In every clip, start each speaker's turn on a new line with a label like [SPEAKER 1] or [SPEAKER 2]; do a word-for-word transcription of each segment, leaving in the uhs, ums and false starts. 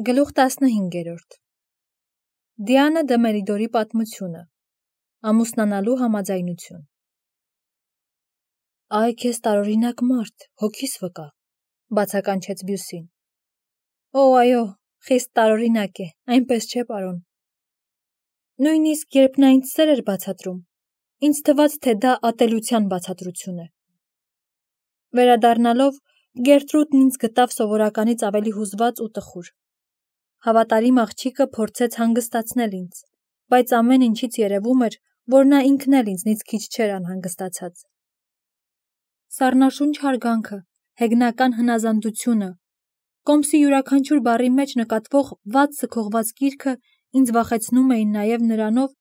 [SPEAKER 1] Գլուխ տասնհինգերորդ Դիանա Դեմերիդորի պատմությունը Ամուսնանալու համաձայնություն Այ քեզ տարօրինակ մարդ, հոգիս վկա, բացականչեց Բյուսին։ Օ, այո, խիստ տարօրինակ է, այնպես չէ, պարոն։ Նույնիսկ երբ նա ինձ սեր էր բացատրում, ինձ թվաց, թե դա ատելության բացատրություն է։ Վերադառնալով, Գերտրուդն ինձ գտավ սովորականից ավելի հուզված ու տխուր։ Հավատարիմ աղջիկը փորձեց հանգստացնել ինձ, բայց ամեն ինչից երևում էր, որ նա ինքն էլ ինձնից քիչ չէր անհանգստացած։ Սառնաշունչ հարգանքը, հեգնական հնազանդությունը, կոմսի յուրաքանչյուր բառի մեջ նկատվող վատ սքողված կիրքը ինձ վախեցնում էին նաև նրանով,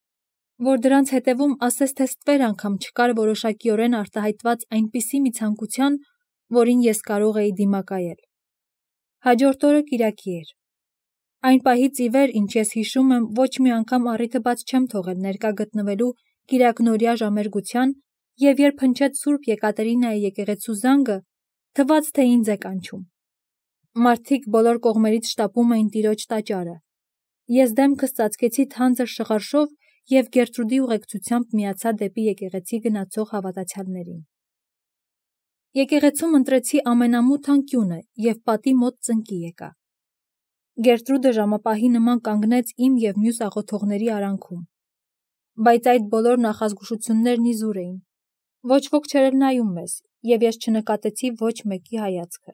[SPEAKER 1] որ դրանց հետևում ասես թե ստվեր անգամ չկար որոշակիորեն արտահայտված այնպիսի մի ցանկության, որին ես կարող էի դիմակայել։ Հաջորդ օրը կիրակի էր։ Այն պահից ի վեր, ինչ ես հիշում եմ, ոչ մի անգամ առիթը բաց չեմ թողել ներկա գտնվելու կիրակնօրյա ժամերգության, և երբ հնչեց Սուրբ Եկատերինայի եկեղեցու զանգը, թվաց, թե ինձ է կանչում։ Մարդիկ բոլոր կողմերից շտապում էին տիրոջ տաճարը։ Ես դեմքս ծածկեցի թանձր շղարշով և Գերտրուդի ուղեկցությամբ միացա դեպի եկեղեցի գնացող հավատացյալներին։ Եկեղեցում ընտրեցի ամենամութ անկյունը և պատի մոտ ծնկի եկա։ Գերտրուդը ժամապահի նման կանգնեց իմ և մյուս աղոթողների արանքում։ Բայց այդ բոլոր նախազգուշություններն իզուր էին։ Ոչ ոք չէր էլ նայում մեզ, և ես չնկատեցի ոչ մեկի հայացքը։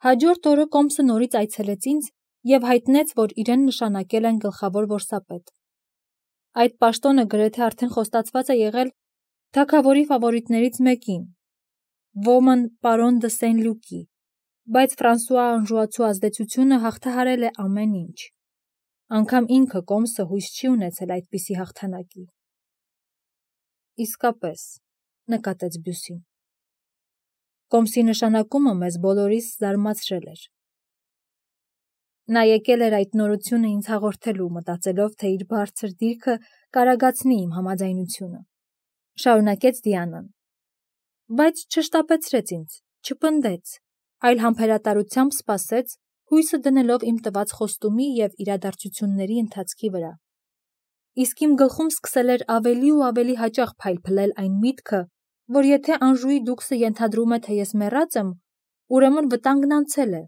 [SPEAKER 1] Հաջորդ օրը կոմսը նորից այցելեց ինձ և հայտնեց, որ իրեն նշանակել են գլխավոր որսապետ։ Այդ պաշտոնը գրեթե արդեն խոստացված է եղել թագավորի ֆավորիտներից մեկին, ոմն պարոն դը Սեն-Լուկի, բայց Ֆրանսուଆ Անժուացու ազդեցությունը հաղթահարել է ամեն ինչ։ Անգամ ինքը կոմսը հույս չի ունեցել այդպիսի հաղթանակի։ Իսկապես, նկատեց Բյուսին։ Կոմսի նշանակումը մեզ բոլորիս զարմացրել էր։ Նա եկել էր այդ նորությունը ինձ հաղորդելու, մտածելով, թե իր բարձր դիրքը կարագացնի իմ համաձայնությունը։ Շարունակեց Դիանան։ Բայց չշտապեցրեց ինձ, չպնդեց, այլ համբերատարությամբ սպասեց, հույսը դնելով իմ տված խոստումի և իրադարձությունների ընթացքի վրա։ Իսկ իմ գլխում սկսել էր ավելի ու ավելի հաճախ փայլփլել այն միտքը, որ եթե Անժուի դուքսը ենթադրում է, թե ես մեռած եմ, ուրեմն վտանգն անցել է,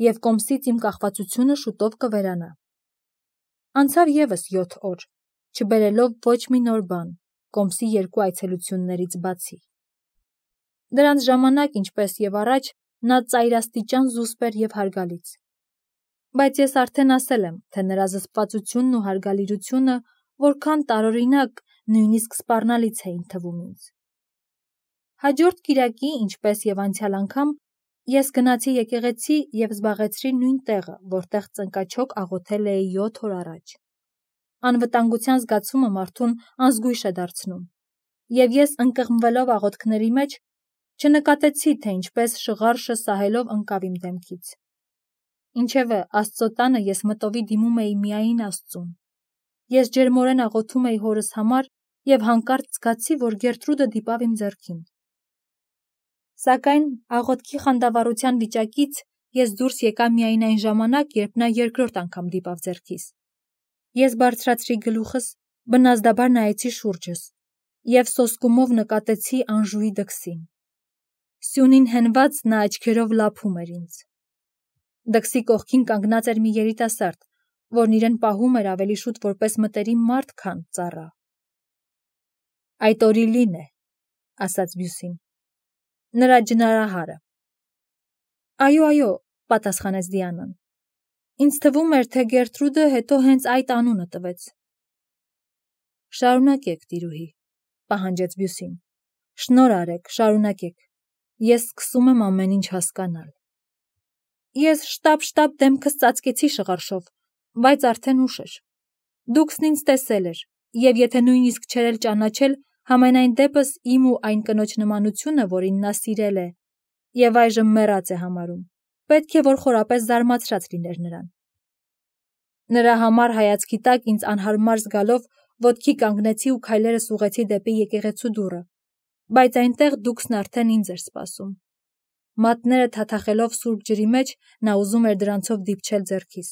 [SPEAKER 1] և կոմսից իմ կախվածությունը շուտով կվերանա։ Անցավ ևս յոթ օր, չբերելով ոչ մի նոր բան, կոմսի երկու այցելություններից բացի։ Դրանց ժամանակ, ինչպես և առաջ, նա ծայրաստիճան զուսպ էր և հարգալից։ Բայց ես արդեն ասել եմ, թե նրա զսպվածությունն ու հարգալիրությունը որքան տարօրինակ, նույնիսկ սպառնալից էին թվում ինձ։ Հաջորդ կիրակի, ինչպես և անցյալ անգամ, ես գնացի եկեղեցի և զբաղեցրի նույն տեղը, որտեղ ծնկաչոք աղոթել էի յոթ օր առաջ։ Անվտանգության զգացումը մարդուն անզգույշ է դարձնում, և ես ընկղմվելով աղոթքների մեջ, չնկատեցի, թե ինչպես շղարշը սահելով ընկավ իմ դեմքից։ Ինչևէ, Աստծո տանը ես մտովի դիմում էի միայն Աստծուն։ Ես ջերմորեն աղոթում էի հորս համար և հանկարծ զգացի, որ Գերտրուդը դիպավ իմ ձեռքին։ Սակայն աղոթքի խանդավառության վիճակից ես դուրս եկա միայն այն ժամանակ, երբ նա երկրորդ անգամ դիպավ ձեռքիս։ Ես բարձրացրի գլուխս, բնազդաբար նայեցի շուրջս և սոսկումով նկատեցի Անժուի դքսին։ Սյունին հենված նա աչքերով լափում էր ինձ։ Դքսի կողքին կանգնած էր մի երիտասարդ, որն իրեն պահում էր ավելի շուտ որպես մտերիմ մարդ, քան ծառա։ Այդ Օրիլին է, ասաց Բյուսին, նրա ջնարահարը։ Այո, այո, պատասխանեց Դիանան։ Ինձ թվում էր, թե Գերտրուդը հետո հենց այդ անունը տվեց։ Շարունակեք, տիրուհի, պահանջեց Բյուսին։ Շնորհ արեք, շարունակեք։ Ես սկսում եմ ամեն ինչ հասկանալ։ Ես շտապ-շտապ դեմքս ծածկեցի շղարշով, բայց արդեն ուշ էր։ Դուքսն ինձ տեսել էր, և եթե նույնիսկ չէր էլ ճանաչել, համենայն դեպս իմ ու այն կնոջ նմանությունը, որին նա սիրել է և այժմ մեռած է համարում, պետք է որ խորապես զարմացրած լիներ նրան։ Նրա համառ հայացքի տակ ինձ անհարմար զգալով ոտքի կանգնեցի ու քայլերս ուղղեցի դեպի եկեղեցու դուռը, բայց այնտեղ դուքսն արդեն ինձ էր սպասում։ մատները թաթախելով սուրբ ջրի մեջ նա ուզում էր դրանցով դիպչել ձեռքիս։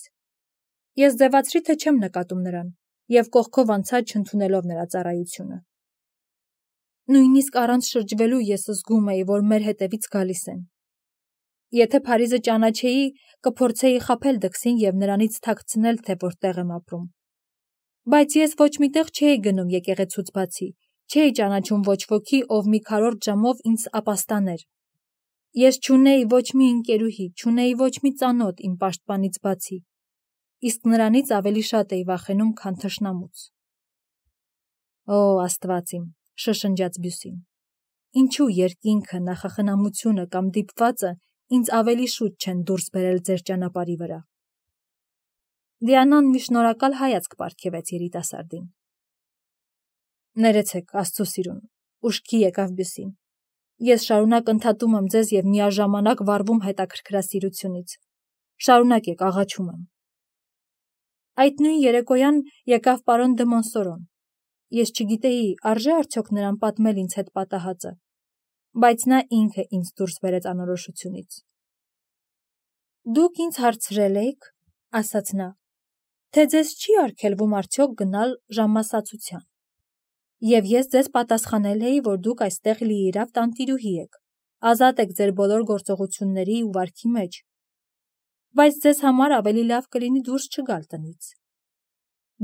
[SPEAKER 1] Ես ձևացրի, թե չեմ նկատում նրան, և կողքով անցա չընդունելով նրա ծառայությունը։ Նույնիսկ առանց շրջվելու ես զգում էի, որ մեր հետևից գալիս են։ Եթե Փարիզը ճանաչեի, կփորձեի խաբել դքսին և նրանից թաքցնել, թե որտեղ եմ ապրում։ Բայց ես ոչ մի տեղ չէի գնում եկեղեցուց բացի, չէի ճանաչում ոչ ոքի, ով մի քառորդ ժամով ինձ ապաստաներ։ Ես չունեի ոչ մի ընկերուհի, չունեի ոչ մի ծանոթ իմ պաշտպանից բացի, իսկ նրանից ավելի շատ էի վախենում, քան թշնամուց։ Օ, Աստված իմ, շշնջաց Բյուսին, ինչու երկինքը, նախախնամությունը կամ դիպվածը ինձ ավելի շուտ չեն դուրս բերել ձեր ճանապարհի վրա։ Դիանան մի շնորհակալ հայացք պարգևեց երիտասարդին։ Ներեցեք, Աստծո սիրուն, ուշքի եկավ Բյուսին։ Ես շարունակ ընդհատում եմ ձեզ և միաժամանակ վառվում հետաքրքրասիրությունից։ Շարունակեք, աղաչում եմ։ Այդ նույն երեկոյան եկավ պարոն դը Մոնսորոն։ Ես չգիտեի, արժե արդյոք նրան պատմել ինձ հետ պատահածը, բայց նա ինքը ինձ դուրս բերեց անորոշությունից։ Դուք ինձ հարցրել էիք, ասաց նա, թե ձեզ չի արգելվում արդյոք գնալ ժամասացության։ Եվ ես ձեզ պատասխանել էի, որ դուք այստեղ լիիրավ տանտիրուհի եք, ազատ եք ձեր բոլոր գործողությունների ու վարքի մեջ, բայց ձեզ համար ավելի լավ կլինի դուրս չգալ տնից։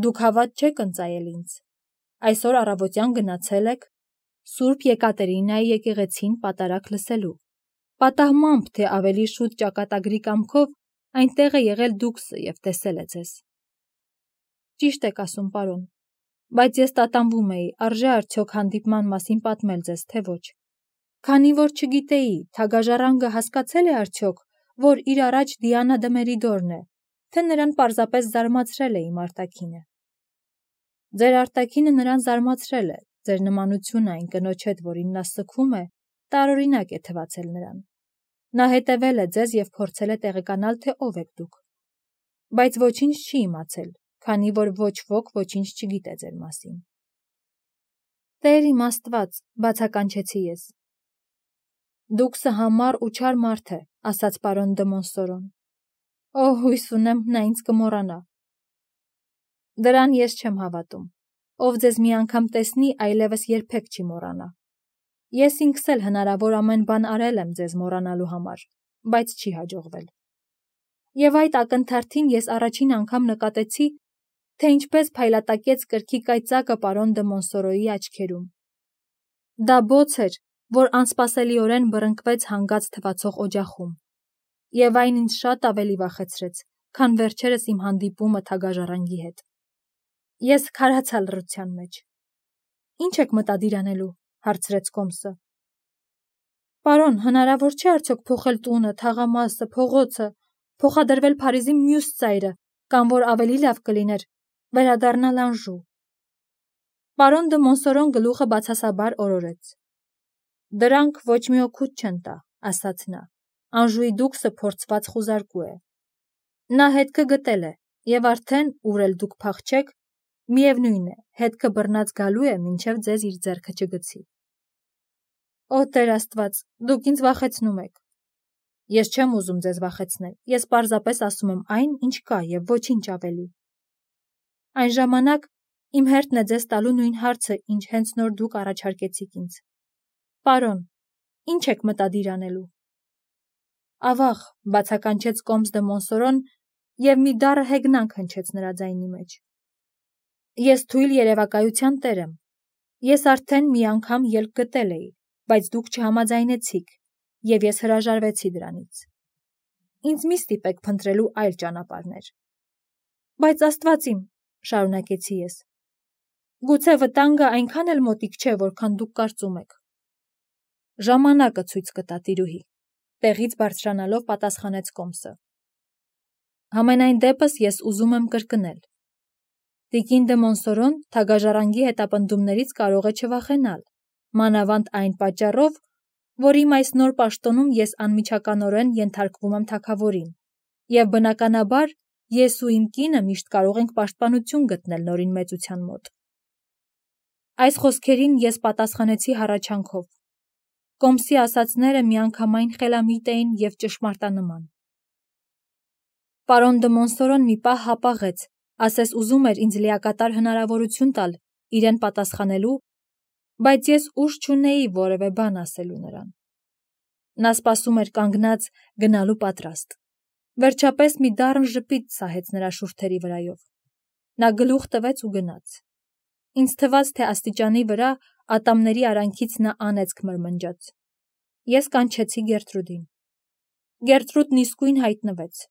[SPEAKER 1] Դուք հավատ չեք ընծայել ինձ։ Այսօր առավոտյան գնացել եք Սուրբ Եկատերինայի եկեղեցին պատարագ լսելու, պատահմամբ, թե ավելի շուտ ճակատագրի կամքով այնտեղ է եղել դուքսը և տեսել է ձեզ։ Ճիշտ եք ասում, պարոն, բայց ես տատանվում էի, արժե արդյոք հանդիպման մասին պատմել ձեզ, թե ոչ։ Քանի որ չգիտեի, թագաժառանգը հասկացել է արդյոք, որ իր առաջ Դիանա դը Մերիդորն է, թե նրան պարզապես զարմացրել է իմ արտաքինը։ Ձեր արտաքինը նրան զարմացրել է, ձեր նմանությունը այն կնոջ հետ, որին նա սգում է, տարօրինակ է թվացել նրան։ Նա հետևել է ձեզ և փորձել է տեղեկանալ, թե ով եք դուք։ Բայց ոչինչ չի իմացել, քանի որ ոչ ոք ոչինչ չգիտե ձեր մասին։ Տեր իմ Աստված, բացականչեցի ես։ Դուքսը համառ ու չար մարդ է, ասաց պարոն դը Մոնսորոն։ Օ, հույս ունեմ, նա ինձ կմոռանա։ Դրան ես չեմ հավատում։ Ով ձեզ մի անգամ տեսնի, այլևս երբեք չի մոռանա։ Ես ինքս էլ հնարավոր ամեն բան արել եմ ձեզ մոռանալու համար, բայց չի հաջողվել։ Եվ այդ ակնթարթին ես առաջին անգամ նկատեցի, թե ինչպես փայլատակեց կրքի կայծակը պարոն դը Մոնսորոյի աչքերում։ Դա բոց էր, որ անսպասելիորեն բռնկվեց հանգած թվացող օջախում, և այն ինձ շատ ավելի վախեցրեց, քան վերջերս իմ հանդիպումը թագաժառանգի հետ։ Ես քարացա լռության մեջ։ Ինչ եք մտադիր անելու, հարցրեց Կոմսը։ Պարոն, հնարավոր չէ արդյոք փոխել տունը, թաղամասը, փողոցը, փոխադրվել Փարիզի մյուս ծայրը, կամ որ ավելի լավ կլիներ, վերադառնալ Անժու։ Պարոն դը Մոնսորոն գլուխը բացասաբար օրորեց։ Դրանք ոչ մի օգուտ չեն տա, ասաց նա։ Անժուի դուքսը փորձված խուզարկու է։ Նա հետքը գտել է, և արդեն, ուր էլ դուք փախչեք, միևնույն է, հետքը բռնած գալու է, մինչև ձեզ իր ձեռքը չգցի։ Օ, Տեր Աստված, դուք ինձ վախեցնում եք։ Ես չեմ ուզում ձեզ վախեցնել, ես պարզապես ասում եմ այն, ինչ կա և ոչինչ ավելի։ Այն ժամանակ իմ հերթն է ձեզ տալու նույն հարցը, ինչ հենց նոր դուք առաջարկեցիք ինձ։ Պարոն, ինչ եք մտադիր անելու։ Ավաղ, բացականչեց Կոմս դը Մոնսորոն և մի դառը հեգնանք հնչեց նրա ձայնի մեջ։ Ես թույլ երևակայության տեր եմ։ Ես արդեն մի անգամ ելք գտել էի, բայց դուք չհամաձայնեցիք, և ես հրաժարվեցի դրանից։ Ինձ մի ստիպեք փնտրելու այլ ճանապարհներ։ Բայց Աստված իմ, շարունակեցի ես, գուցե վտանգը այնքան էլ մոտիկ չէ, որքան դուք կարծում եք։ Ժամանակը ցույց կտա, տիրուհի, տեղից բարձրանալով պատասխանեց Կոմսը։ Համենայն դեպս ես ուզում եմ կրկնել։ Տիկին դը Մոնսորոն թագաժառանգի հետապնդումներից կարող է չվախենալ, մանավանդ այն պատճառով, որ իմ այս նոր պաշտոնում ես անմիջականորեն ենթարկվում եմ թագավորին, և բնականաբար ես ու իմ կինը միշտ կարող ենք պաշտպանություն գտնել նորին մեծության մոտ։ Այս խոսքերին ես պատասխանեցի հառաչանքով։ Կոմսի ասածները միանգամայն խելամիտ էին և ճշմարտանման։ Պարոն դը Մոնսորոն մի պահ հապաղեց, ասես ուզում էր ինձ լիակատար հնարավորություն տալ իրեն պատասխանելու, բայց ես ուժ չունեի որևէ բան ասելու նրան։ Նա սպասում էր կանգնած, գնալու պատրաստ։ Վերջապես մի դառն ժպիտ սահեց նրա շուրթերի վրայով։ Նա գլուխ տվեց ու գնաց։ Ինձ թվաց, թե աստիճանի վրա ատամների արանքից նա անեծք մրմնջաց։ Ես կանչեցի Գերտրուդին։ Գերտրուդն իսկույն հայտնվեց։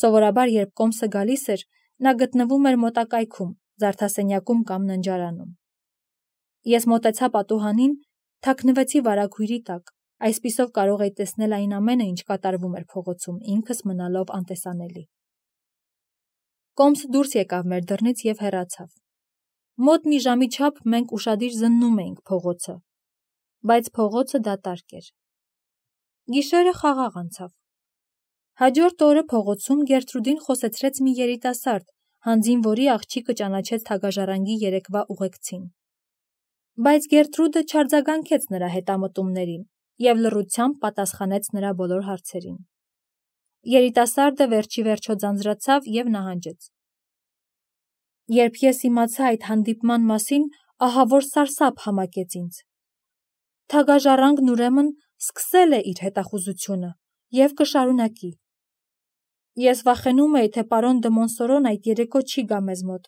[SPEAKER 1] Սովորաբար, երբ Կոմսը գալիս էր, նա գտնվում էր մոտակայքում, զարդասենյակում կամ ննջարանում։ Ես մոտեցա պատուհանին, թաքնվեցի վարագույրի տակ, այսպիսով կարող էի տեսնել այն ամենը, ինչ կատարվում էր փողոցում, ինքս մնալով անտեսանելի։ Կոմսը դուրս եկավ մեր դռնից և հեռացավ։ Մոտ մի ժամի չափ մենք ուշադիր զննում էինք փողոցը, բայց փողոցը դատարկ էր։ Գիշերը խաղաղ անցավ։ Հաջորդ օրը փողոցում Գերտրուդին խոսեցրեց մի երիտասարդ, հանձին որի աղջիկը ճանաչեց թագաժառանգի երեկվա ուղեկցին։ Բայց Գերտրուդը չարձագանքեց նրա հետամտումներին և լռությամբ պատասխանեց նրա բոլոր հարցերին։ Երիտասարդը վերջիվերջո ձանձրացավ և նահանջեց։ Երբ ես իմացա այդ հանդիպման մասին, ահավոր սարսափ համակեց ինձ։ Թագաժառանգն ուրեմն սկսել է իր հետախուզությունը և կշարունակի։ Ես վախենում էի, թե պարոն դը Մոնսորոն այդ երեկո չի գա մեզ մոտ,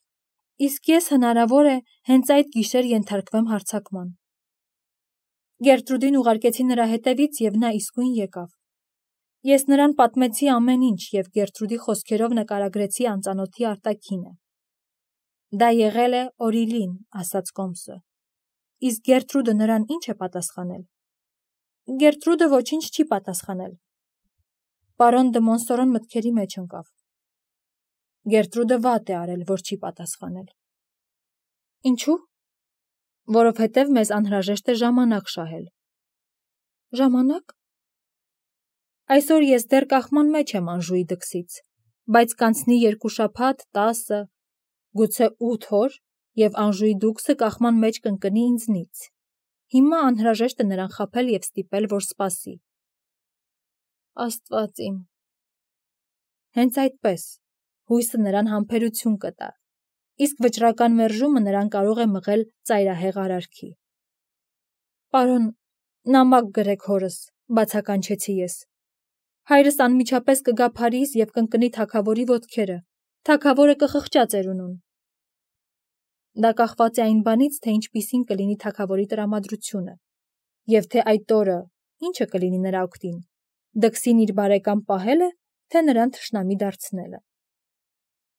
[SPEAKER 1] իսկ ես հնարավոր է հենց այդ գիշեր ենթարկվեմ հարձակման։ Գերտրուդին ուղարկեցի նրա հետևից և նա իսկույն եկավ։ Ես նրան պատմեցի ամեն ինչ և Գերտրուդի խոսքերով նկարագրեցի անծանոթի արտաքինը։ Դա եղել է Օրիլին, ասաց Կոմսը։ Իսկ Գերտրուդը նրան ինչ է պատասխանել։ Գերտրուդը ոչինչ չի պատասխանել։ Պարոն դը Մոնսորոն մտքերի մեջ ընկավ։ Գերտրուդը վատ է արել, որ չի պատասխանել։ Ինչու՞։ Որովհետև մեզ անհրաժեշտ է ժամանակ շահել։ Ժամանակ։ Այսօր ես դեռ կախման մեջ եմ Անժուի դքսից, բայց կանցնի երկու շաբաթ, տասը, գուցե ութ օր, և Անժուի դուքսը կախման մեջ կընկնի ինձնից։ Հիմա անհրաժեշտ է նրան խաբել և ստիպել, որ սպասի։ Աստված իմ։ Հենց այդպես, հույսը նրան համբերություն կտա, իսկ վճռական մերժումը նրան կարող է մղել ծայրահեղ արարքի։ Պարոն, նամակ գրեք հորս, բացականչեցի ես։ Հայրս անմիջապես կգա Փարիզ և կընկնի թագավորի ոտքերը, թագավորը կխղճա ծերունուն։ Դա կախված է այն բանից, թե ինչպիսին կլինի թագավորի տրամադրությունը, և թե այդ օրը ինչը կլինի նրա օգտին, դքսին իր բարեկամ պահելը, թե նրան թշնամի դարձնելը։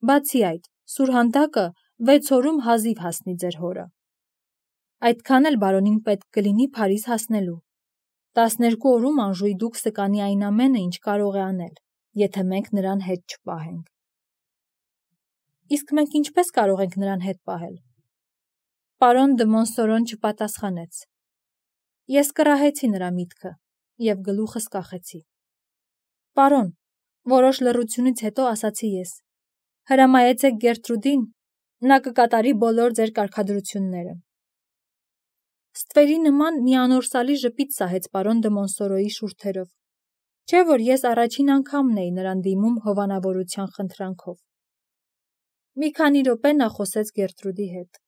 [SPEAKER 1] Բացի այդ, սուրհանդակը վեց օրում հազիվ հասնի ձեր հորը։ Այդքան էլ բարոնին պետք կլինի Փարիզ հասնելու։ Տասներկու օրում Անժուի դուքսը կանի այն ամենը, ինչ կարող է անել, եթե մենք նրան հետ չպահենք։ Իսկ մենք ինչպես կարող ենք նրան հետ պահել։ Պարոն դը Մոնսորոն չպատասխանեց։ Ես կռահեցի նրա միտքը և գլուխս կախեցի։ Պարոն, որոշ լռությունից հետո ասացի ես, հրամայեցեք Գերտրուդին, նա կկատարի բոլոր ձեր կարգադրությունները։ Ստվերի նման մի անորսալի ժպիտ սահեց պարոն դը Մոնսորոյի շուրթերով, չէ՞ որ ես առաջին անգամն էի նրան դիմում հովանավորության խնդրանքով։ Մի քանի րոպե նա խոսեց Գերտրուդի հետ։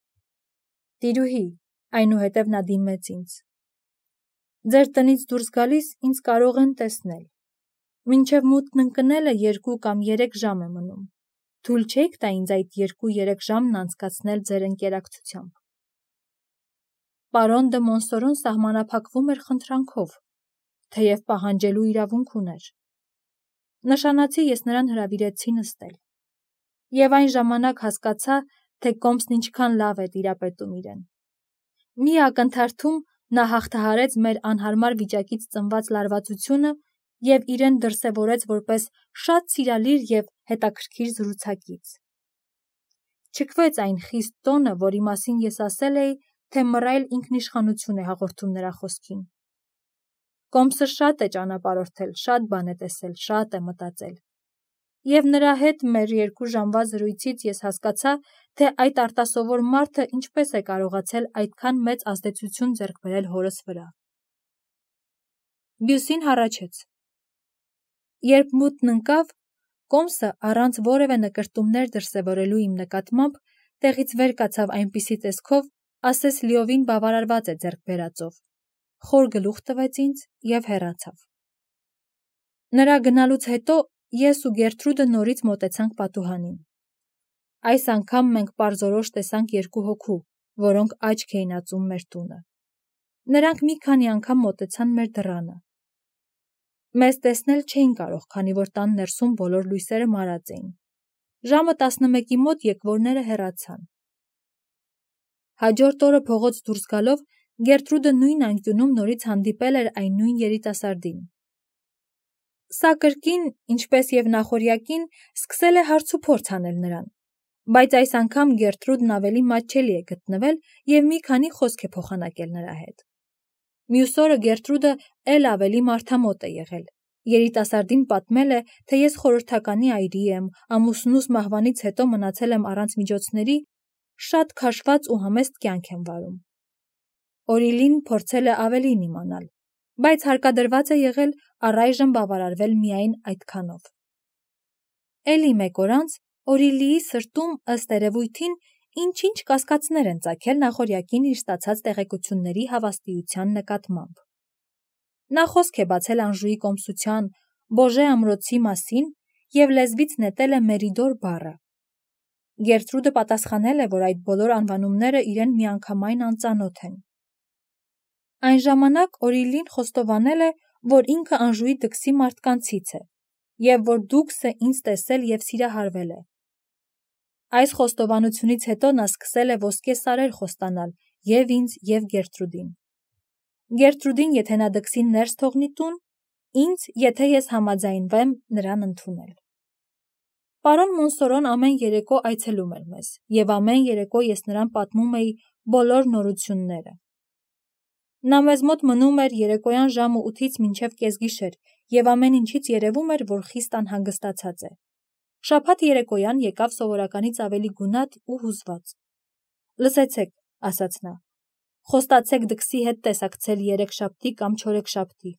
[SPEAKER 1] Տիրուհի, այնուհետև նա դիմեց ինձ։ Ձեր տնից դուրս գալիս ինձ կարող են տեսնել։ Մինչև մութն ընկնելը երկու կամ երեք ժամ է մնում։ Թույլ չէիք տա ինձ այդ երկու-երեք ժամն անցկացնել ձեր ընկերակցությամբ։ Պարոն դը Մոնսորոն սահմանափակվում էր խնդրանքով, թեև պահանջելու իրավունք ուներ։ Նշանացի ես նրան հրավիրեցի նստել։ Եվ այն ժամանակ հասկացա, թե Կոմսն ինչքան լավ է տիրապետում իրեն։ Մի ակնթարթում նա հաղթահարեց մեր անհարմար վիճակից ծնված լարվածությունը և իրեն դրսևորեց որպես շատ սիրալիր և հետաքրքիր զրուցակից։ Չքվեց այն խիստ տոնը, որի մասին ես ասել էի, թե մռայլ ինքնիշխանություն է հաղորդում նրա խոսքին։ Կոմսը շատ է ճանապարհորդել, շատ բան է տեսել, շատ է մտածել։ Եվ նրա հետ մեր երկու ժամվա զրույցից ես հասկացա, թե այդ արտասովոր մարդը ինչպես է կարողացել այդքան մեծ ազդեցություն ձեռք բերել հորս վրա։ Բյուսին հառաչեց։ Երբ մութն ընկավ, Կոմսը առանց որևէ նկրտումներ դրսևորելու իմ նկատմամբ տեղից վեր կացավ այնպիսի տեսքով, ասես լիովին բավարարված է ձեռք բերածով, խոր գլուխ տվեց ինձ և հեռացավ։ Նրա գնալուց հետո ես ու Գերտրուդը նորից մոտեցանք պատուհանին։ Այս անգամ մենք պարզորոշ տեսանք երկու հոգու, որոնք աչք էին ածում մեր տունը։ Նրանք մի քանի անգամ մոտեցան մեր դռանը։ Մեզ տեսնել չէին կարող, քանի որ տան ներսում բոլոր լույսերը մարած էին։ Ժամը տասնմեկի մոտ եկվորները հեռացան։ Հաջորդ օրը փողոց դուրս գալով Գերտրուդը նույն անկյունում նորից հանդիպել էր այն նույն երիտասարդին։ Սա կրկին, ինչպես և նախօրյակին, սկսել է հարցուփորձ անել նրան, բայց այս անգամ Գերտրուդն ավելի մատչելի է գտնվել և մի քանի խոսք է փոխանակել նրա հետ։ Մյուս օրը Գերտրուդը էլ ավելի մարդամոտ է եղել։ Երիտասարդին պատմել է, թե ես խորհրդականի այրի եմ, ամուսնուս մահվանից հետո մնացել եմ առանց միջոցների, շատ քաշված ու համեստ կյանք եմ վարում։ Օրիլին փորձել է ավելին իմանալ, բայց հարկադրված է եղել առայժմ բավարարվել միայն այդքանով։ Էլի մեկ օր անց Օրիլիի սրտում, ըստ երևույթին, ինչ-ինչ կասկածներ են ծագել նախօրյակին իր ստացած տեղեկությունների հավաստիության նկատմամբ։ Նա խոսք է բացել Անժուի կոմսության, Բոժե ամրոցի մասին և լեզվից նետել է Մերիդոր բառը։ Գերտրուդը պատասխանել է, որ այդ բոլոր անվանումները իրեն միանգամայն անծանոթ են։ Այն ժամանակ Օրիլին խոստովանել է, որ ինքը Անժուի դքսի մարդկանցից է, և որ Դուքսը ինձ տեսել և սիրահարվել է։ Այս խոստովանությունից հետո նա սկսել է ոսկե սարեր խոստանալ և ինձ, և Գերտրուդին։ Գերտրուդին, եթե նա դքսին ներս թողնի տուն, ինձ, եթե ես համաձայնվեմ նրան ընդունել։ Պարոն Մոնսորոն ամեն երեկո այցելում էր մեզ, և ամեն երեկո ես նրան պատմում էի բոլոր նորությունները։ Նա մեզ մոտ մնում էր երեկոյան ժամը ութից մինչև կեսգիշեր, և ամեն ինչից երևում էր, որ խիստ անհանգստացած է։ Շաբաթ երեկոյան եկավ սովորականից ավելի գունատ ու հուզված։ Լսեցեք, ասաց նա, խոստացեք դքսի հետ տեսակցել երեքշաբթի կամ չորեքշաբթի։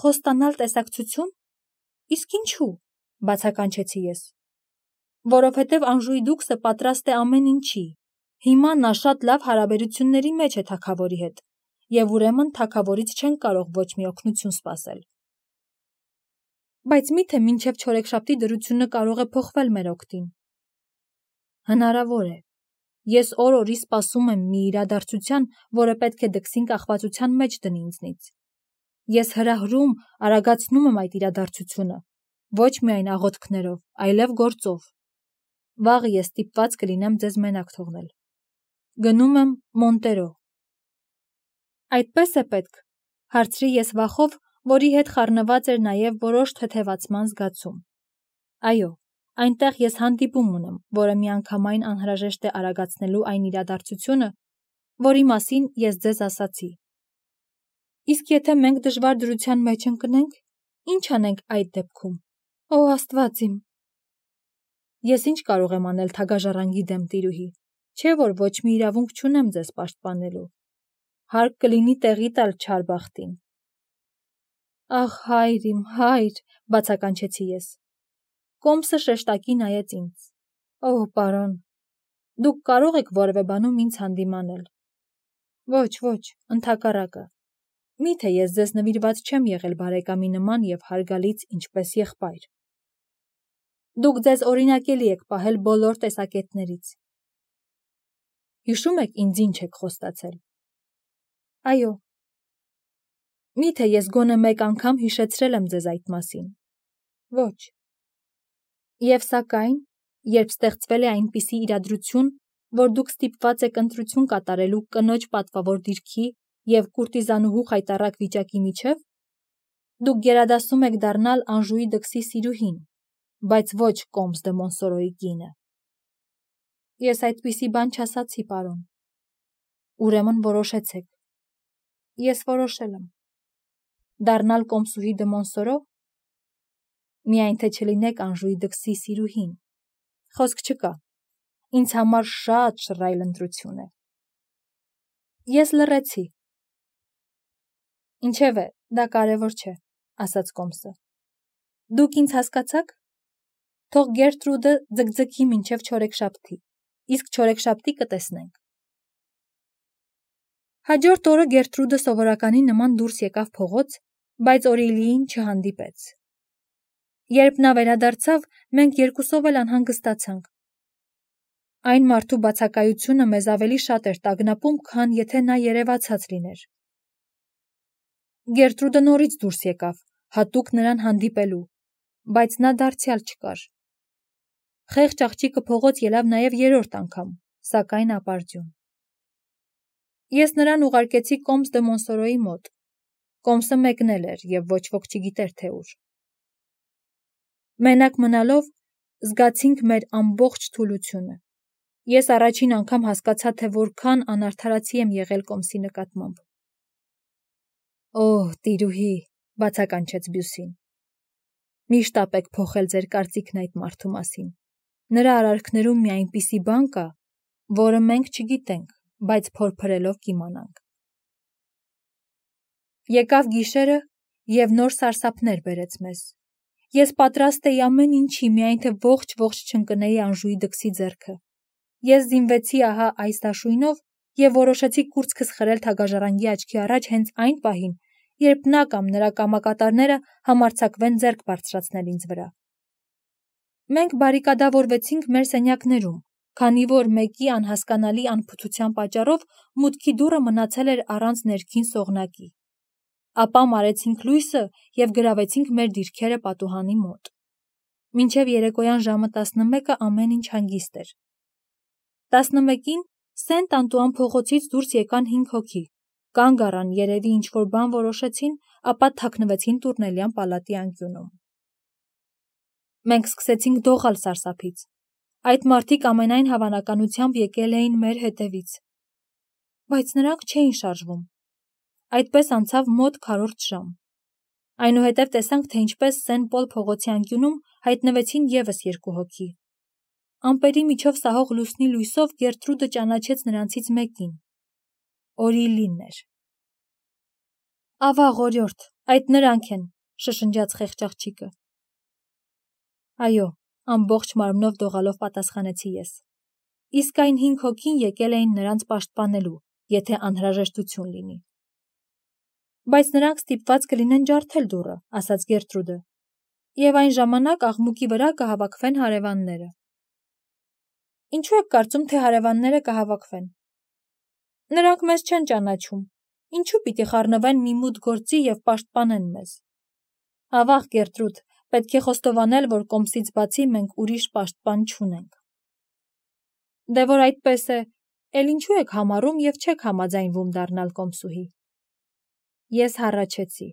[SPEAKER 1] Խոստանալ տեսակցություն։ Իսկ ինչու՞, բացականչեցի ես։ Որովհետև Անժուի Դուքսը պատրաստ է ամեն ինչի։ Հիմա նա շատ լավ հարաբերությունների մեջ է թագավորի հետ, և ուրեմն թագավորից չեն կարող ոչ մի օգնություն սպասել։ Բայց միթե մինչև չորեքշաբթի դրությունը կարող է փոխվել մեր օգտին։ Հնարավոր է։ Ես օր-օրի սպասում եմ մի իրադարձության, որը պետք է դքսին կախվածության մեջ դնի ինձնից։ Ես հրահրում, արագացնում եմ այդ իրադարձությունը, ոչ միայն աղոթքներով, այլև գործով։ Վաղը ես ստիպված կլինեմ ձեզ մենակ թողնել։ Գնում եմ Մոնտերո։ Այդպես է պետք, հարցրի ես վախով, որի հետ խառնված էր նաև որոշ թեթևացման զգացում։ Այո, այնտեղ ես հանդիպում ունեմ, որը միանգամայն անհրաժեշտ է արագացնելու այն իրադարձությունը, որի մասին ես ձեզ ասացի։ Իսկ եթե մենք դժվար դրության մեջ ընկնենք, ի՞նչ անենք այդ դեպքում։ Օ, Աստված իմ։ Ես ինչ կարող եմ անել թագաժառանգի դեմ, տիրուհի, չէ՞ որ ոչ մի իրավունք չունեմ ձեզ պաշտպանելու։ Հարկ կլինի տեղի տալ չար բախտին։ Ախ, հայր իմ, հայր, բացականչեցի ես։ Կոմսը շեշտակի նայեց ինձ։ Օ, պարոն, դուք կարող եք որևէ բանում ինձ հանդիմանել։ Ոչ, ոչ, ընդհակառակը։ Միթե ես ձեզ նվիրված չեմ եղել բարեկամի նման և հարգալից ինչպես եղբայր։ Դուք ձեզ օրինակելի եք պահել բոլոր տեսակետներից։ Հիշում եք ինձ ինչ եք խոստացել։ Այո։ Միթե ես գոնե մեկ անգամ հիշեցրել եմ ձեզ այդ մասին։ Ոչ։ Եվ սակայն, երբ ստեղծվել է այնպիսի իրադրություն, որ դուք ստիպված եք ընտրություն կատարելու կնոջ պատվավոր դիրքի և կուրտիզանուհու խայտառակ վիճակի միջև, դուք գերադասում եք դառնալ Անժուի դքսի սիրուհին, բայց ոչ Կոմս դը Մոնսորոյի կինը։ Ես այդպիսի բան չասացի, պարոն։ Ուրեմն որոշեցեք։ Ես որոշել եմ։ Դառնալ Կոմսուհի դը Մոնսորո։ Միայն թե չլինեք Անժուի դքսի սիրուհին։ Խոսք չկա։ Ինձ համար շատ շռայլ ընտրություն է։ Ես լռեցի։ Ինչևէ, Դա կարևոր չէ, ասաց Կոմսը։ Դուք ինձ հասկացաք։ Թող Գերտրուդը ձգձգի մինչև չորեքշաբթի, իսկ չորեքշաբթի կտեսնենք։ Հաջորդ օրը Գերտրուդը սովորականի նման դուրս եկավ փողոց, բայց Օրիլիին չհանդիպեց։ Երբ նա վերադարձավ, մենք երկուսով էլ անհանգստացանք։ Այն մարդու բացակայությունը մեզ ավելի շատ էր տագնապում, քան եթե նա երևացած լիներ։ Գերտրուդը նորից դուրս եկավ, հատուկ նրան հանդիպելու, բայց նա դարձյալ չկար։ Խեղճ աղջիկը փողոց ելավ նաև երրորդ անգամ, սակայն ապարդյուն։ Ես նրան ուղարկեցի Կոմս դե Մոնսորոյի մոտ։ Կոմսը մեկնել էր և ոչ ոք չգիտեր, թե ուր։ Մենակ մնալով զգացինք մեր ամբողջ թուլությունը։ Ես առաջին անգամ հասկացա, թե որքան անարդարացի եմ եղել Կոմսի նկատմամբ։ Օհ, տիրուհի, բացականչեց Բյուսին։ Միշտ ապեք փոխել ձեր կարծիքն այդ մարդու մասին։ Նրա արարքներում մի այնպիսի բան կա, որը մենք չգիտենք, բայց փորփրելով կիմանանք։ Եկավ գիշերը և նոր սարսափներ բերեց մեզ։ Ես պատրաստ էի ամեն ինչի, միայն թե ողջ-ողջ չընկնեի Անժուի դքսի ձեռքը։ Ես զինվեցի ահա այս դաշույնով և որոշեցի կուրծքս խրել թագաժառանգի աչքի առաջ հենց այն պահին, երբ նա կամ նրա կամակատարները համարձակվեն ձեռք բարձրացնել ինձ վրա։ Մենք բարիկադավորվեցինք մեր սենյակներում, քանի որ մեկի անհասկանալի անփութության պատճառով մուտքի դուռը մնացել էր առանց ներքին սողնակի։ Ապա մարեցինք լույսը և գրավեցինք մեր դիրքերը պատուհանի մոտ։ Մինչև երեկոյան ժամը տասնմեկը ամեն ինչ հանգիստ էր։ Տասնմեկին Սենտ Անտուան փողոցից դուրս եկան հինգ հոգի, կանգ առան, երևի ինչ-որ բան որոշեցին, ապա թաքնվեցին Տուրնելյան պալատի անկյունում։ Մենք սկսեցինք դողալ սարսափից։ Այդ մարդիկ ամենայն հավանականությամբ եկել էին մեր հետևից։ Բայց նրանք չէին շարժվում։ Այդպես անցավ մոտ քառորդ ժամ։ Այնուհետև տեսանք, թե ինչպես Սեն Պոլ փողոցի անկյունում հայտնվեցին ևս երկու հոգի։ Ամպերի միջով սահող լուսնի լույսով Գերտրուդը ճանաչեց նրանցից մեկին։ Օրիլին էր։ Ավաղ օրիորդ, այդ նրանք են, շշնջաց խեղճ աղջիկը։ Այո, ամբողջ մարմնով դողալով պատասխանեցի ես։ Իսկ այն հինգ հոգին եկել էին նրանց պաշտպանելու, եթե անհրաժեշտություն լինի։ Բայց նրանք ստիպված կլինեն ջարդել դուռը, ասաց Գերտրուդը, և այն ժամանակ աղմուկի վրա կհավաքվեն հարևանները։ Ինչու եք կարծում, թե հարևանները կհավաքվեն։ Նրանք մեզ չեն ճանաչում։ Ինչու պիտի խառնվեն մի մութ գործի և պաշտպանեն մեզ։ Ավաղ, Գերտրուդ, պետք է խոստովանել, որ Կոմսից բացի մենք ուրիշ պաշտպան չունենք։ Դե որ այդպես է, էլ ինչու եք համառում և չեք համաձայնվում դառնալ կոմսուհի։ Ես հառաչեցի։